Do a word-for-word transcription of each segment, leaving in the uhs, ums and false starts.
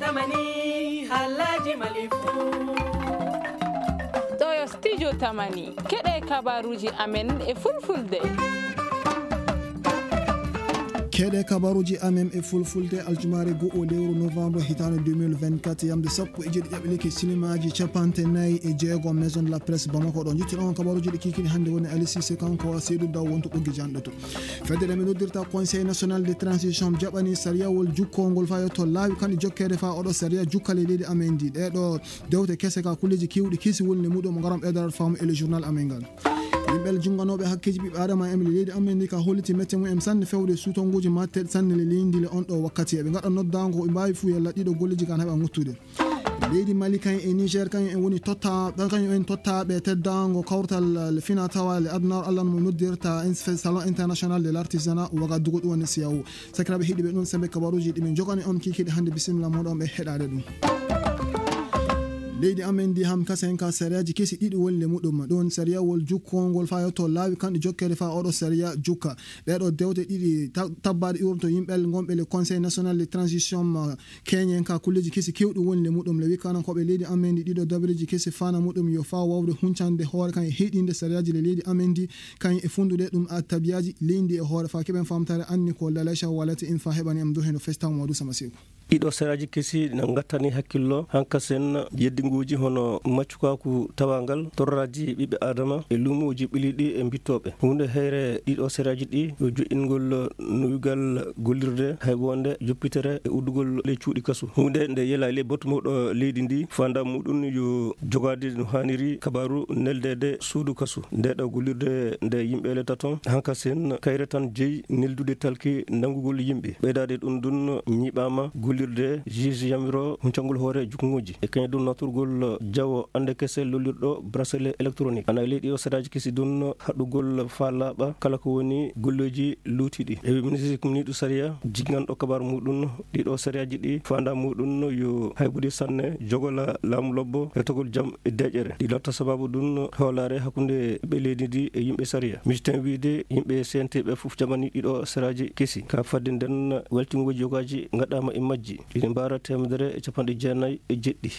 Tamani, haalaaji Mali fuu. Ɗoo yo Studio Tamani. Keɗee kabaaruuji amen e Fulfulde. Keɗee kabaaruuji amen e Fulfulde, aljumaare go'o lewru novembre hitaande deux mille vingt-quatre, yamde sappo e jeeɗiɗi ƴaɓɓi likke sinimaaji capanɗe nayi e jeego, Maison de la Presse Bamako ɗo. Njittuɗo on kabaaruuji ɗi kiikiiɗe hannde woni Ali Cissé, kanko Seydou Daw wonto ɓoggi janɗo to. Fedde nde ɓe noddirta Conseil National de Transition jaɓani sariyawol jukkoongol faa yotto laawi kanɗe jokkeede faa oɗo sariya jukka ley leydi amen ndi. Ɗee ɗoo dewte kese ka kulleeji keewɗi kesi woni le muɗum ngaram ɓeydaade faamu e le journal amen ngal. Yimɓe le junnganooɓe hakkeeji ɓiɓɓe aadama en le leydi amen ndi ka holliti mette mum en sanne fewde suutonnguuji matteeɗi sanne le leydi ndi le on ɗoo wakkati. Eɓe ngaɗa noddaango ko ɓe mbaawi fuu yalla ɗiɗo golleeji kan heɓa ŋottude. Leydi Mali kañum e Niger kañum en woni totta, kañum en tottaaɓe teddaango kawtal le fina tawa le adunaaru Alla no mo noddirta ins-, Salon International de l'Artisanat Ouagadougou ɗum woni siyawu. Sakiraaɓe heɗiiɓe ɗum sembe kabaruuji ɗi min njogani on kiikiiɗe hannde bisimilla mooɗon ɓe heɗaade ɗum. Leydi amen ndi ham kasen ka sariyaaji kesi ɗiɗi woni le muɗum. Ɗum sariyawol jukkoongol faa yotto laawi kanɗe jokkeede faa oɗo sariya jukka. Ɗee ɗoo dewte ɗiɗi ta-, tabbaaɗe iwronto yimɓe ngonɓe le Conseil National de Transition, uh, keñen ka kulleeji kesi keewɗi woni le muɗum. Le wikkanankooɓe leydi amen ndi ɗiɗo dabareeji kesi fana muɗum yo faa wawde huncande hoore kan e heyɗinde sariyaaji le leydi amen ndi kan e fundude ɗum a tabiyaaji leydi ndi e hoore faa keɓen faamtaare anni ko Lalacha Walati in faa heɓani am dow heno festa Mamadou Sama Seku. Ɗiɗo sariyaaji kesi na ngattani hakkillo hankasen yeddinguuji hono maccukaaku tawaangal, torraaji ɓiɓɓe aadama e luumooji ɓiliiɗi e mbittooɓe. Huunde heyre ɗiɗo sariyaaji ɗi yo joƴƴingol nuyugal gollirde hay wonde joppitere e uddugol ley cuuɗi kasu. Huunde nde yelaali e batu mawɗo leydi ndi, faandaare muɗum yo jogaade no haaniri kabaaru neldeede suudu kasu. Nde ɗo gollirde nde yimɓe le taton hankasen kayre tan jeyi neldude talki nanngugol yimɓe. Ɓeydaade ɗum ɗum ñiiɓaama gollirde juge yamiro huncangol hoore jukkuŋooji. E kañum ɗum natorgol jawo annde kese lollirɗo bracelet électronique. Ana e ley ɗiɗo sariyaaji kesi ɗum haɗugol faa laaɓa kala ko woni golleeji luutiiɗi. E ministre communiiɗo sariya jinnganɗo kabaaru muɗum ɗiɗo sariyaaji ɗi faandaare muɗum yo haybude sanne jogola laamu lobbo retogol jam e deeƴere. Ɗi latta sabaabu ɗum hoolaare hakkunde ɓiɓɓe leydi ndi e yimɓe sariya. Misitan wiide yimɓe C N T ɓe fof jaɓani ɗiɗo sariyaaji kesi. Ka fadde nden weltingooji yogaaji ngaɗaama e majji. Ɗiɗi mbaara teemedere e capanɗe jeenayi e jeɗɗi.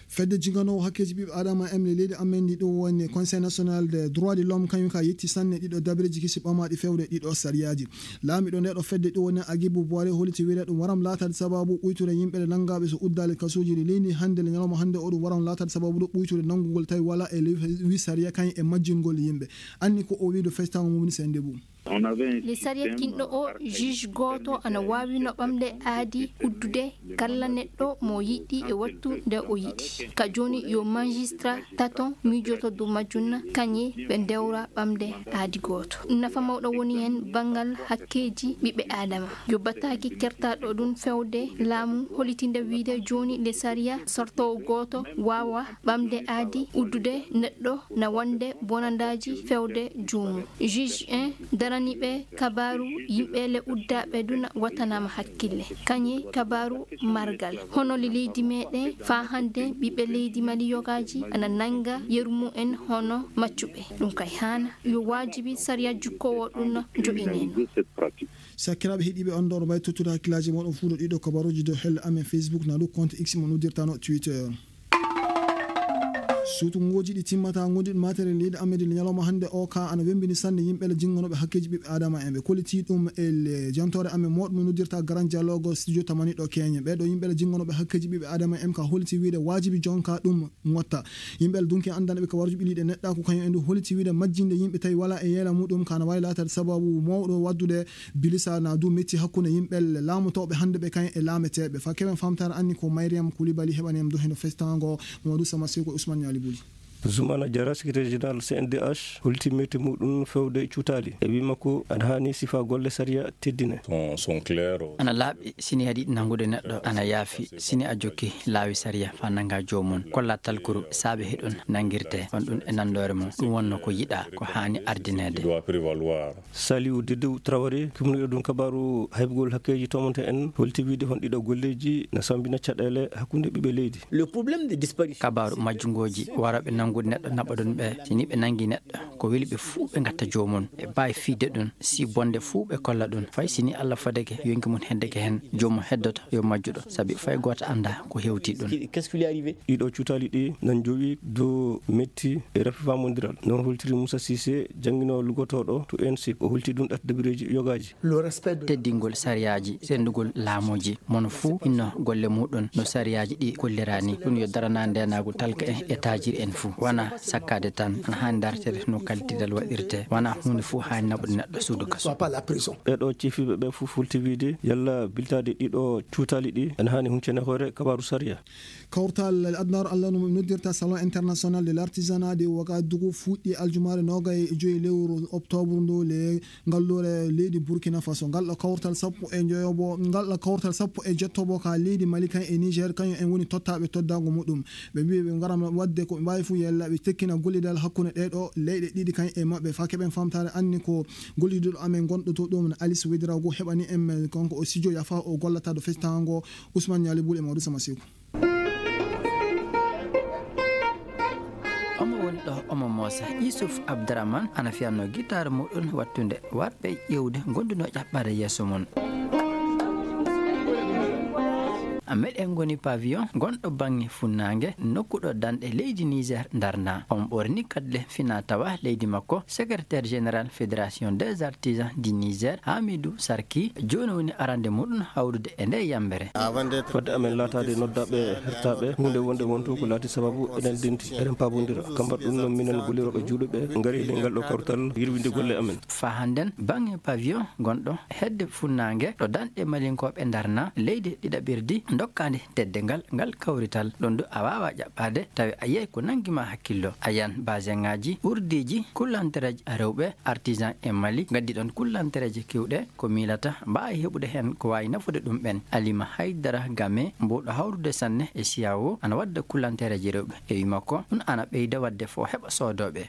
Fedde jinnganoowo hakkeeji ɓiɓɓe aadama en le leydi amen ndi ɗum woni Conseil National des Droits de l'Homme kañum ka yetti sanne ɗiɗo dabareeji kesi ɓamaaɗi fewde ɗiɗo sariyaaji. Laamiiɗo ndee ɗoo fedde ɗum woni Agibu Boire holliti wiide ɗum waram laataade sabaabu ɓuytude yimɓe le nanngaaɓe so uddaali kasuuji ɗi leydi hannde le ñalawma hannde o ɗum waram laataade sabaabu ɗo ɓuytude nanngugol tawi walaa e ley wi sariya kañum e majjingol yimɓe. Anni ko o wii ɗo festaango mum ni sennde bum. Le sariya kinɗo o, juge gooto ana waawino ɓamde aadi uddude kala neɗɗo mo yiɗi e wattu nde o yiɗi. Ka jooni yo magistrat taton miijoto dow majjum kañe ɓe ndewra ɓamde aadi gooto. Nafa mawɗo woni hen banngal hakkeeji ɓiɓɓe aadama. Yo bataaki kertaaɗo ɗum fewde laamu hollitinde wiide jooni le sariya sortoowo gooto waawa ɓamde aadi uddude neɗɗo na wonde bonandaaji fewde joomum. Juge en darani ɓe kabaaru yimɓe le uddaaɓe duna wattanaama hakkille. Kañe kabaaru margal. Hono le leydi meɗen faa hannde ɓiɓɓe leydi Mali yogaaji ana nannga yeru mum en hono maccuɓe. Ɗum kay haana yo waajibi sariya jukkoowo ɗum joƴinen. Sakiraaɓe heɗiiɓe on ɗoo no mbaawi tottude hakkillaaji mooɗon fuu ɗo ɗiɗo kabaruuji dow helle amen Facebook na dow compte X mo noddirtano Twitter. Suutungooji ɗi timmataa ngonduɗi maatere leydi amen ndi ñalawma hannde o ka ana wemmbini sanne yimɓe le jinnganooɓe hakkeeji ɓiɓɓe aadama en. Ɓe kollitii ɗum e le jantoore amen mooɗo mo noddirta Grand Dialogue studio tamani ɗo Keñe. Ɓee ɗoo yimɓe le jinnganooɓe hakkeeji ɓiɓɓe aadama en ka holliti wiide waajibi jonka ɗum ŋotta. Yimɓe Alduŋki anndanɓe kabaruuji ɓiliiɗi e neɗɗaaku kañum en du holliti wiide majjinde yimɓe tawi walaa e yeela muɗum ka na waawi laataade sabaabu mawɗo waɗdude bilisa na du metti hakkunde yimɓe laamotooɓe hannde ɓe kañum e laameteeɓe. Faa keɓen faamtaare anni ko Mariam Koulibaly heɓani en du heno festaango Mamadou Sama Seko e Ousmane Niali Bouly. Zoumana Diarra, secrétaire général C N D H, holliti metti muɗum fewde cuutaali. E wii makko, ana haani sifaa golle sariya teddine. Ana laaɓi, si ni aɗa yiɗi nanngude neɗɗo, ana yaafi, si ni a jokki laawi sariya faa nannga joomum. Kollaa talkuru saabe hiɗum nanngirtee, on ɗum e nanndoore mum. Ɗum wonnoo ko yiɗaa, ko haani ardineede. Saliou Dedou Traoré, kumniiɗo ɗum kabaaru haybugol hakkeeji tomonte en, holliti wiide hon ɗiɗo golleeji na sammbina caɗeele hakkunde ɓiɓɓe leydi. Kabaaru majjungooji warooɓe nanngu Woodi neɗɗo naɓa ɗum ɓe, si nii ɓe nanngi neɗɗo, ko weli ɓe fuu ɓe ngatta joomum. Ɓe mbaawi fiyde ɗum, si bonde fuu ɓe kolla ɗum. Fay si nii Alla fadake yonki mum heddake heen, joomum heddoto yo majjuɗo, sabi fay gooto anndaa ko hewti ɗum. Qu'est-ce qui lui est arrivé? Ɗiɗo cuutaali ɗi nan jowi dow metti e rafi faamondiral. Non holtiri Moussa Cissé, jannginoowo lugotooɗo to INSEP. O holti ɗum ɗaɗi dabireeji yogaaji. Teddingol sariyaaji, senndugol laamuuji, mono fuu hinno golle muuɗum no sariyaaji ɗi kolliraani. Ɗum yo daranaa ndeenaagu talka en e taajiri en fuu. Wanaa sakkaade tan, ana haani dartede no kaltidal waɗirtee. Wanaa huunde fuu haani naɓude neɗɗo suudu kaso. Ɓee ɗoo ciifiiɓe ɓee fuu fulti wiide yalla biltaade ɗiɗo cuutaali ɗi ana haani huncene hoore kabaaru sariya. Kawtal adunaaru Alla no noddirta Salon International de l'Artisanat de Ouagadougou fuɗɗi aljumaare noogay e joy lewru oktoobre ndu le ngalluure leydi Burkina Faso. Ngal ɗo kawtal sappo e njoyobo, ngal ɗo kawtal sappo e jettobo ka leydi Mali kan e Niger, kañum en woni tottaaɓe toddaango muɗum. Ɓe mbii ɓe ngaran waɗde ko ɓe mbaawi fuu yalla ɓe tekkina gollidal hakkunde ɗee ɗoo leyɗe ɗiɗi kan e maɓɓe. Faa keɓen faamtaare anni ko gollidiiɗo amen gonɗo to ɗum Alice Ouédraogo heɓani en kanko o studio yafa o gollata ɗo festaango Ousmane Niali Boule e Maodo Sama Seku. Omo woni ɗo, omo moosa. Yusuf Abdurahman ana fiyannoo gitaar muuɗum wattunde warɓe ƴeewde gondunoo ƴaɓɓaade yeeso mum. Meɗen ngoni pavillon gonɗo baŋŋe funnaange, nokku ɗo danɗe leydi Niger ndarnaa. On ɓorni kaddule finaa tawaa leydi makko, secrétaire général Fédération des Artisans du Niger, Hamidou Sarki, jooni woni arande muɗum hawrude e ndee yammbere. Fadde amen laataade noddaaɓe hertaaɓe, huunde wonde wonto ko laati sababu eɗen ndenti, eɗen paabondira. Kambar ɗum noon minen gollirooɓe juulɓe ngari e ley ngal ɗoo kawtal yirwinde golle amen. Faa hannden baŋŋe pavillon gonɗo hedde funnaange ɗo danɗe malinkooɓe ndarnaa, leydi ɗiɗaɓirdi ndokkaandi teddeengal ngal kawrital. Ɗum du a waawaa ƴaɓɓaade tawi a yiyay ko nanngi ma hakkillo. A yiyan baasiŋaaji, urdiiji, kullantereeji rewɓe, artisan e Mali ngaddi ɗoon kullantereeji keewɗe ko miilata mbaawi heɓude heen ko waawi nafude ɗum ɓeen. Alima Haydara Game mbuuɗo hawrude sanne e siyaawo ana wadda kullantereeji rewɓe. E wii makko, ɗum ana ɓeyda waɗde fo heɓa soodooɓe.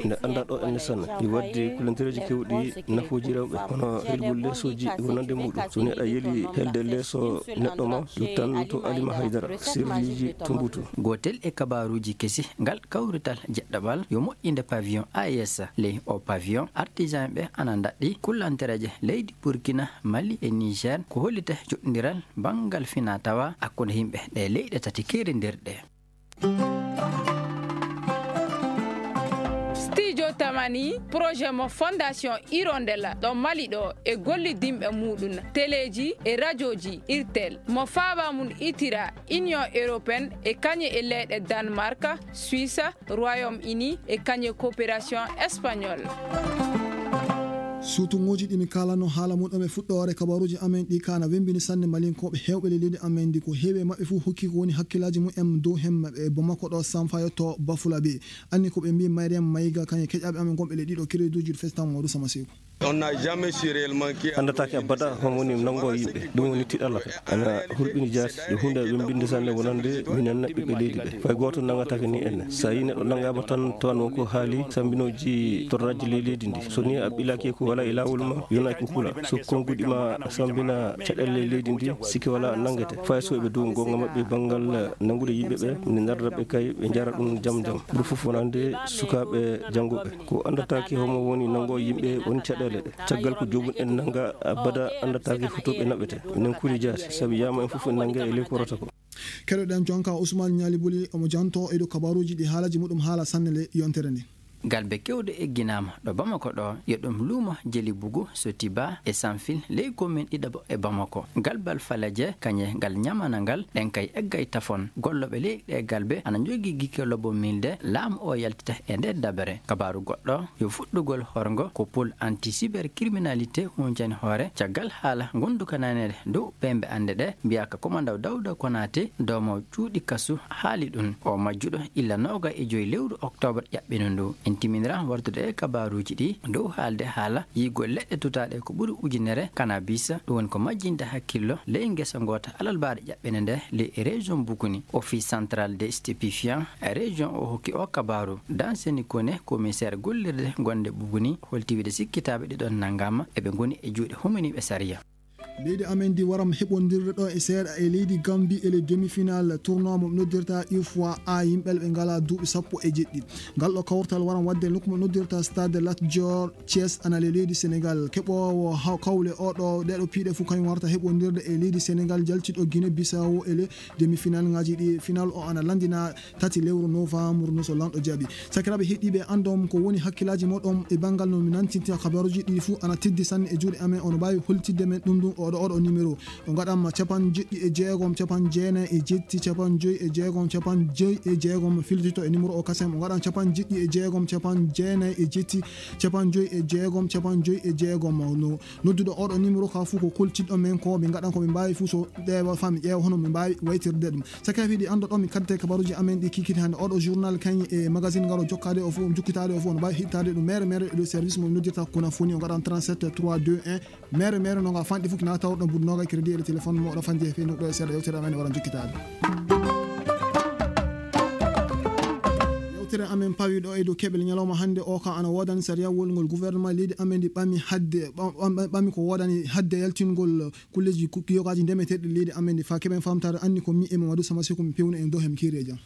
Nde anndaa ɗo enne sanne, mi waddi kulantereeji keewɗi nafooji rewɓe, hono helgol leesooji wonande muuɗum. So ni aɗa yeli helde leeso neɗɗo ma, yottan to Alima Haydara, sirriiji tumbutu. Gootel e kabaaruuji kesi, ngal kawrital jeɗɗaɓal yo moƴƴinde pavillon A E S. Ley oo pavillon, artisan ɓe ana ndaɗɗi kullantereeje leydi Burkina, Mali e Niger, ko hollita joɗɗindiral banngal finaa tawaa hakkunde yimɓe ɗee leyɗe tati keerindirɗe. Studio Tamani, projet mo Fondation Hirondella ɗo Mali ɗo e gollidinɓe muuɗum, teleeji e rajooji Irtel, mo faaba mum itira Union Européenne e kañe e leyɗe Danemark, Suisse, Royaume-Uni e kañe Coopération Espagnole. Suutuŋooji ɗi mi kaalanoo haala mum ɗo e fuɗɗoore kabaaruuji amen ɗi kaa na wemmbini sanne Malinkooɓe heewɓe ley leydi amen ndi. Ko heewi e maɓɓe fuu hokki ko woni hakkillaaji mum en dow heen maɓɓe e Bamako ɗo, Samfayo to Bafulabe. Anni ko ɓe mbii Mariam Mayiga kañum e keƴaaɓe amen gonɓe ley ɗiɗo kereduuji ɗo festa Maodo Sama Seku. Anndataake abada homo woni nanngoowo yimɓe. Ɗum woni tiiɗalla ka. Ana hulɓini jaati. Yo huunde wemmbinde sanne wonande minen ɓiɓɓe leydi ɓe. Fay gooto nanngataake ni enne. So a yii neɗɗo nanngaama tan, tawan won ko haali sambinooji torraaji ley leydi ndi. So ni a ɓilaaki ko walaa e laawol ma, yonaa ko hula. So konnguɗi ma sambina caɗeele ley leydi ndi, sikke walaa a nanngete. Fay so eɓe dow goonga maɓɓe banngal nanngude yimɓe ɓe, mi ndarda ɓe kay, ɓe njara ɗum jam jam. Ɓuri fof wonande sukaaɓe janngooɓe. Ko anndataake homo woni nanngoowo yimɓe woni caɗeele ɗe. Caggal ko joomum en nannga abada anndataake fof to ɓe naɓete. Minen kuli jaati, sabi yaama en fof en nannge e ley ko rota ko. Keɗoɗen jonka Ousmane Niali Buli, omo jantoo e dow kabaaruuji ɗi haalaaji muɗum haala sanne ley yontere nde. Galbe keewɗe egginaama ɗo Bamako ɗo, yo ɗum luumo Jeli Bugu, Sotiba e Sanfil, ley komin ɗiɗaɓo e Bamako. Galbal Falaje, kañe ngal ñamana ngal, ɗen kay eggay tafon. Gollooɓe ley ɗee galbe ana njogii gikke lobo milde laamu oo yaltita e ndee dabere. Kabaaru goɗɗo, yo fuɗɗugol horgo ko pôle anti-cybercriminalité huncani hoore caggal haala ngondukananeede dow pembe annde ɗe, mbiyaa ka komandaw Dawda Konaate, doomoowo cuuɗi kasu, haali ɗum. Oo majjuɗo illa noogay e joy lewru oktoobar ƴaɓɓino ndu. En timinira wartude e kabaaruuji ɗi dow haalde haala yiigol leɗɗe tutaaɗe ko ɓuri ujunere, kanabis, ɗum woni ko majjinde hakkillo ley ngesa ngoota alarbaare ƴaɓɓene nde ley e région Buguni. Office central des stupéfiants e région o hokki oo kabaaru. Dan Seni Kone, commissaire gollirde gonde Buguni, holti wiide sikkitaaɓe ɗiɗon nanngaama, eɓe ngoni e juuɗe huminiiɓe sariya. Leydi amen ndi waram heɓondirde ɗo e seeɗa e leydi Gambi e le demi-finale tournoi mo ɓe noddirta U F O A A, yimɓe ɓe ngalaa duuɓi sappo e jeɗɗi. Ngal ɗo kawtal waram waɗde nokku mo noddirta Stade Lat Dior Thiès, ana le leydi Senegal. Keɓoowo ha-, kawle o ɗo, ɗee ɗo piiɗe fof kañum warta heɓondirde e leydi Senegal jaltiɗo Guinée Bissau e le demi-finale ŋaaji ɗi. Final o ana lanndina tati lewru novembre no so lanɗo jaɓi. Sakiraaɓe heɗiiɓe, anndon ko woni hakkillaaji moɗon e banngal no mi nantinta kabaruuji ɗi fuu ana teddi sanne e juuɗe amen. Ono mbaawi holtidde men ɗum ɗum oɗo, oɗo numéro. O ngaɗan ma capanɗe jeɗɗi e jeegom, capanɗe jeenayi e jetti, capanɗe joyi e jeegom, capanɗe joyi e jeegom. Filtito e numéro o kasen. O ngaɗan capanɗe jeɗɗi e jeegom, capanɗe jeenayi e jetti, capanɗe joyi e jeegom, capanɗe joyi e jeegom. No nodduɗo oɗo numéro ka fuu ko koltiɗo men ko ɓe ngaɗan ko ɓe mbaawi fuu so ɗeewa fami ƴeewa hono ɓe mbaawi waytirde ɗum. Saka fiɗi anndo ɗo mi kadde kabaruuji amen ɗi kikiɗe hannde. Oɗo journal kañ e magazine ngaro jokkaade o fof, jukkitaade o fof, no mbaawi hittaade ɗum mere mere e dow service mo noddirta kuna foni o ngaɗan trente-sept trois deux un. Mere mere no nga fanɗi fof kina tawa ɗo mbuɗu noga crédit e téléphone mo ɗo fanji e fendu ɗo e seeɗa yewtere amen wara jukkitaade. Yewtere amen pawi ɗo e dow keɓel ñalawma hannde o ka ana woodani sariyawol ngol gouvernement leydi amen ndi ɓami hadde, ɓam-, ɓam-, ɓami ko woodani hadde yaltingol kulleeji ku-, kiyokaaji ndemeteeɗi leydi amen ndi. Faa keɓen faamtaare anni ko mi e Mamadou Sama Seku mi pewno en dow hem kiiri e jam.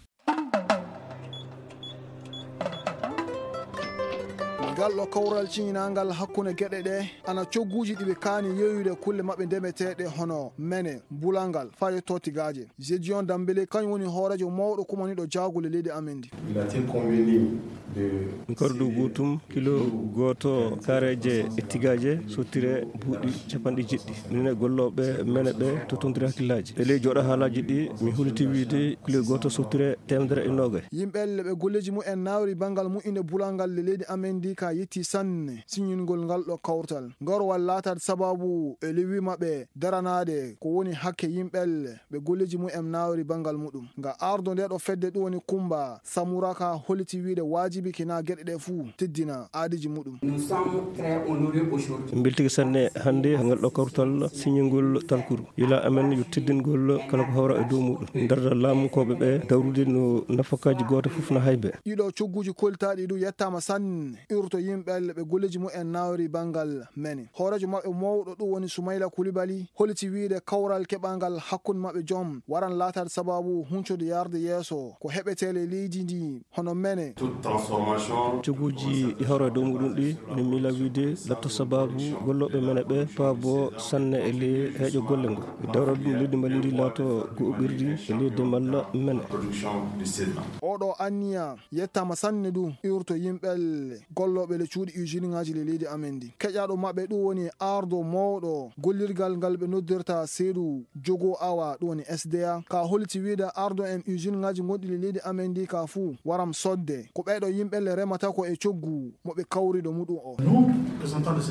Ngal ɗo kawral ciñinaangal hakkunde geɗe ɗe ana cogguuji ɗi ɓe kaani yeeyude kulle maɓɓe ndemeteeɗe hono mene, bulangal, faa yetto tigaaje. Gédéon Dembélé, kañum woni hooreejo mawɗo kumaniiɗo jaagule leydi amen ndi. Il a été convenu de... Ngardu gootum, kilo gooto kaareeje e tigaaje, sottire buuɗi capanɗe jeɗɗi. Minen e gollooɓe mene ɓe, tottondiri hakkillaaji. E ley jooɗo haalaaji ɗi, mi huliti wiide kilo gooto sottire teemedere e noogay. Yimɓe elle ɓe golleeji mumen naawri banngal mu'inde bulangal le leydi amen ndi ka yetti sanne siñingol ngal ɗo kawtal. Ngarowal laataade sabaabu e lewi maɓɓe daranaade ko woni hakke yimɓe elle ɓe golleeji mumen naawri banngal muɗum. Nga ardo nde ɗo fedde ɗum woni Kumba Samura ka holiti wiide waajibi kina geɗe ɗe fuu teddina aadiiji muɗum. Nous sommes très honorés aujourd'hui. En mbeltike sanne hannde ngal ɗo kawtal siñingol talkuru. Yila amen yo teddingol kala ko hawra e dow muɗum. Darda laamunkooɓe ɓe dawrude no nafakaaji gooto fof na haybe. Ɗiɗo cogguuji koltaaɗi ɗum yettaama sanne. Urto yimɓe ɓe golleeji mumen naawri banngal mene. Hooreejo maɓɓe mawɗo ɗum woni Sumayla Kulibali, holiti wiide kawral keɓangal hakkunde maɓɓe joom waran laataade sabaabu huncode yarde yeeso ko heɓetee ley leydi ndi hono mene. Toute transformation... Cogguuji ɗi hawra e dow muɗum ɗi, ene miila wiide latto sabaabu gollooɓe mene ɓe paabo sanne e ley heeƴo golle ngo. E dawral ɗum leydi Mali ndi laato go'oɓirdi e ley demal mene. Production de céréales. Oɗo anniya yettaama sanne ɗum urto yimɓe gollooɓe le cuuɗi usine ŋaaji le leydi amen ndi. Keƴaaɗo maɓɓe ɗum woni ardo mawɗo gollirgal ngal ɓe noddirta Seedu Jogo Awa, ɗum woni S D A. Ka holiti wiide ardo en usine ŋaaji gonɗi le leydi amen ndi ka fuu waram sodde. Ko ɓeeɗo yimɓe le remata ko e coggu mo ɓe kawri ɗo muɗum o.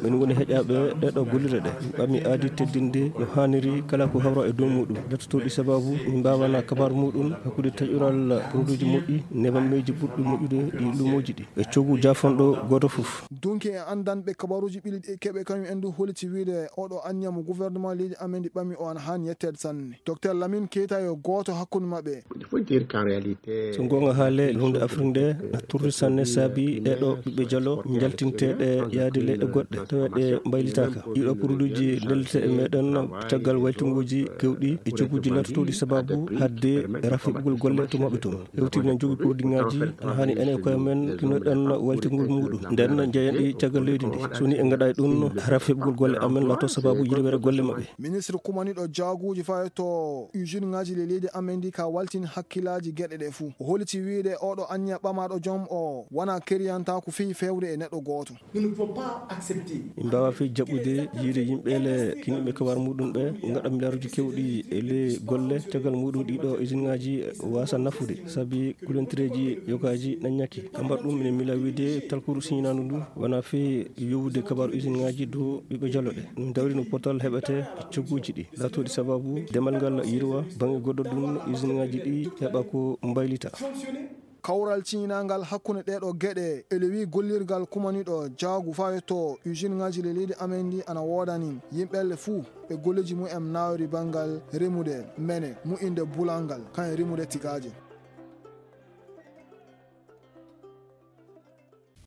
Min woni heƴaaɓe ɗee ɗo gollirɗe ɗe. Min ɓami aadi teddinde no haaniri kala ko hawra e dow muɗum. Lattotooɗi sabaabu min mbaawana kabaar muɗum hakkunde taƴoral produitji moƴƴi, nebammeeji ɓurɗi moƴƴude ɗi luumooji ɗi. E coggu jaafanɗo gooto fof. Dunki e anndanɓe kabaruuji ɓiɗi ɗi keɓe kañum en du holiti wiide oɗo anniya mo gouvernement leydi amen ndi ɓami o ana haani yetteede sanne. Docteur Lamine Keita yo gooto hakkunde maɓɓe. Il faut dire qu'en réalité... So goonga haalee, huunde Afrik nde na turri sanne saabi ɗee ɗo ɓiɓɓe jalo njaltinteeɗe yaade leyɗe goɗɗe, taweeɗe mbaylitaaka. Ɗiɗo produitji ndellete e meɗen caggal waytinguuji kewɗi e cogguuji laatotooɗi sabaabu hadde rafi heɓugol golle to maɓɓe toon. Hewtii no jogii produitŋaaji, ana haani enen e koye men pinoɗen waytingol muɗum. Nden njeyen ɗi caggal leydi ndi. So nii en ngaɗaay ɗum, rafi heɓugol golle amen laato sabaabu yirwere golle maɓɓe. Ministre kumaniiɗo jaaguuji faa e to usine ŋaaji le leydi amen ndi ka waltini hakkillaaji geɗe ɗe fuu. O holiti wiide oɗo anniya ɓamaaɗo joom o wonaa keriyantaaku fii feewde e neɗɗo gooto. Nous ne pouvons pas accepter. Min mbaawaa fii jaɓude yiide yimɓe le kiniiɓe kabaar muɗum ɓe ngaɗa miliyaaruuji kewɗi e ley golle, caggal muɗum ɗiɗo usine ŋaaji waasa nafude, sabi kulantireeji yogaaji na ñakki. Ka mbar ɗum, minen miila wiide talkuru siñinaandu ndu wonaa fii yowude kabaaru usine ŋaaji dow ɓiɓɓe jalo ɓe. Min dawri no potal heɓetee e cogguuji ɗi laatooɗi sabaabu demal ngal yirwa, baŋŋe goɗɗo ɗum usine ŋaaji ɗi heɓa ko mbaylita. Kawral ciñinaangal hakkunde ɗee ɗoo geɗe e lewii gollirgal kumaniiɗo jaagu faa yetto usine ŋaaji le leydi amen ndi ana woodani yimɓe le fuu ɓe golleeji mumen naawri banngal remude mene, mu'inde bulangal, kañum e remude tigaaje.